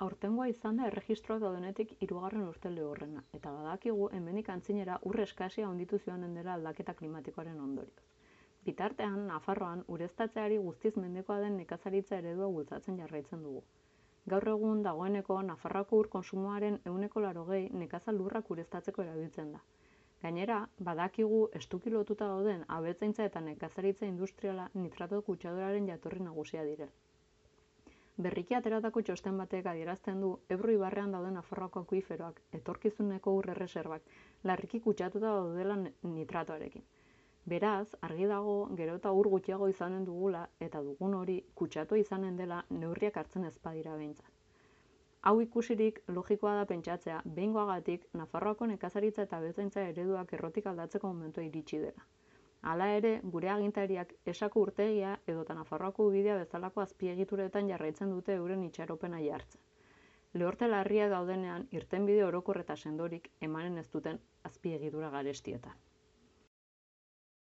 Aurtengoa izan da erregistroak daudenetik 3. urte lehorrena, eta badakigu hemendik antzinera ur eskasia handitu joanen dela aldaketa klimatikoaren ondorioz. Bitartean, Nafarroan ureztatzeari guztiz mendekoa den nekazaritza eredua bultzatzen jarraitzen dugu. Gaur egun dagoeneko Nafarroako ur kontsumoaren 80% nekazal lurrak ureztatzeko erabiltzen da. Gainera, badakigu estuki lotuta dauden abeltzaintza eta nekazaritza industriala nitrato kutsaduraren jatorri nagusia direla. Berriki ateratako txosten batek adierazten du Ebro ibarrean dauden Nafarroako akuiferoak, etorkizuneko ur erreserbak, larriki kutsatuta daudela nitratoarekin. Beraz, argi dago gero eta ur gutxiago izanen dugula eta dugun hori kutsatua izanen dela neurriak hartzen ez badira behintzat. Hau ikusirik logikoa da pentsatzea behingoagatik Nafarroako nekazaritza eta abeltzaintza ereduak errotik aldatzeko momentua iritsi dela. Hala ere, gure agintariak Esako urtegia edota Nafarroako ubidea bezalako azpiegituretan jarraitzen dute euren itxaropena jartzen. Lehorte larria daudenean irtenbide orokor eta sendorik emanen ez duten azpiegitura garestietan.